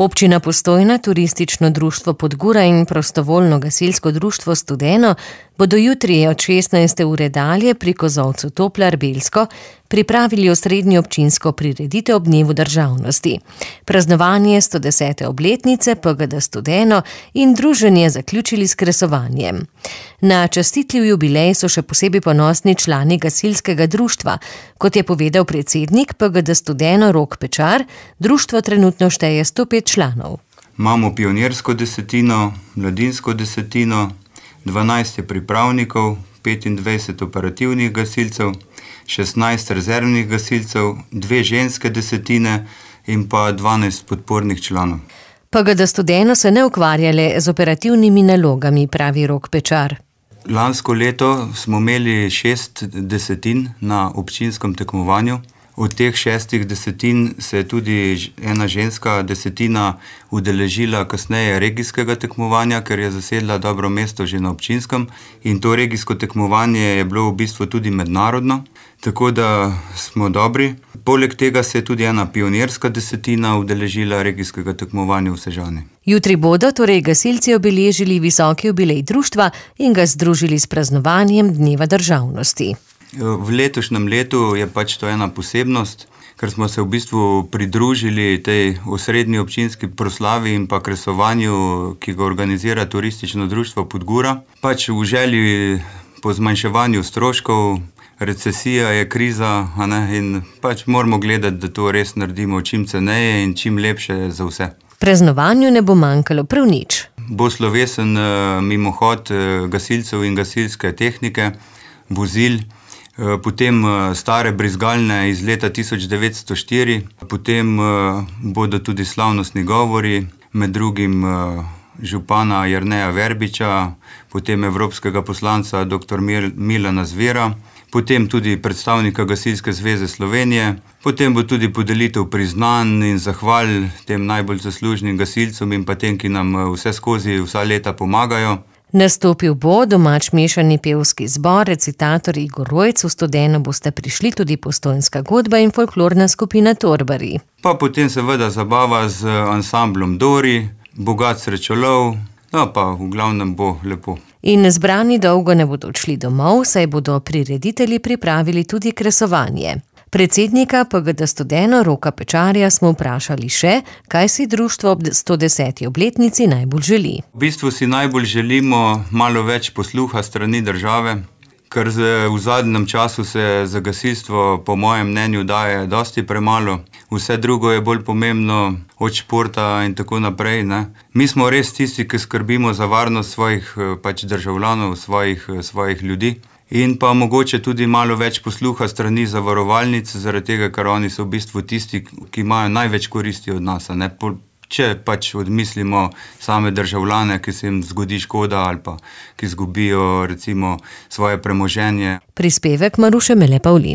Občina Postojna, Turistično društvo Podgura in Prostovoljno gasilsko društvo Studeno bodo jutri od 16. ure dalje pri kozolcu Toplar-Belsko pripravili osrednjo občinsko prireditev ob dnevu državnosti. Praznovanje 110. obletnice PGD Studeno in druženje zaključili s kresovanjem. Na častitljiv jubilej so še posebej ponosni člani gasilskega društva. Kot je povedal predsednik PGD Studeno Rok Pečar, društvo trenutno šteje 105 članov. Imamo pionirsko desetino, mladinsko desetino, 12 pripravnikov, 25 operativnih gasilcev, 16 rezervnih gasilcev, 2 ženske desetine in pa 12 podpornih članov. PGD Studeno se ne ukvarjale z operativnimi nalogami, pravi Rok Pečar. Lansko leto smo imeli 6 desetin na občinskem tekmovanju. Od teh 6 desetin se je tudi ena ženska desetina udeležila kasneje regijskega tekmovanja, ker je zasedla dobro mesto že na občinskem. In to regijsko tekmovanje je bilo v bistvu tudi mednarodno, tako da smo dobri. Poleg tega se je tudi ena pionirska desetina udeležila regijskega tekmovanja v Sežani. Jutri bodo torej gasilci obeležili visoki jubilej društva in ga združili s praznovanjem dneva državnosti. V letošnjem letu je pač to ena posebnost, ker smo se v bistvu pridružili tej osrednji občinski proslavi in pa kresovanju, ki ga organizira Turistično društvo Podgura. Pač v želji po zmanjševanju stroškov, recesija je kriza, in pač moramo gledati, da to res naredimo čim ceneje in čim lepše za vse. Praznovanju ne bo manjkalo prav nič. Bo slovesen mimohod gasilcev in gasilske tehnike, vozil, potem stare brizgalne iz leta 1904, potem bodo tudi slavnostni govori, med drugim župana Jerneja Verbiča, potem evropskega poslanca dr. Milana Zvera, potem tudi predstavnika Gasilske zveze Slovenije, potem bo tudi podelitev priznanj in zahval tem najbolj zaslužnim gasilcem in pa tem, ki nam vse skozi vsa leta pomagajo. Nastopil bo domač mešani pevski zbor, recitator Igor Rojc, v Studeno boste prišli tudi Postojnska godba in folklorna skupina Torbari. Pa potem seveda zabava z ansamblom Dori, bogat srečolov, pa v glavnem bo lepo. In zbrani dolgo ne bodo odšli domov, saj bodo prireditelji pripravili tudi kresovanje. Predsednika PGD Studeno Roka Pečarja smo vprašali še, kaj si društvo ob 110. obletnici najbolj želi. V bistvu si najbolj želimo malo več posluha strani države, ker v zadnjem času se za gasilstvo po mojem mnenju daje dosti premalo. Vse drugo je bolj pomembno od športa in tako naprej. Mi smo res tisti, ki skrbimo za varnost svojih državljanov, svojih ljudi. In pa mogoče tudi malo več posluha strani zavarovalnic, zaradi tega, ker oni so v bistvu tisti, ki imajo največ koristi od nas. Če odmislimo same državljane, ki se jim zgodi škoda ali pa ki izgubijo recimo svoje premoženje. Prispevek Maruše Mele Pavlin.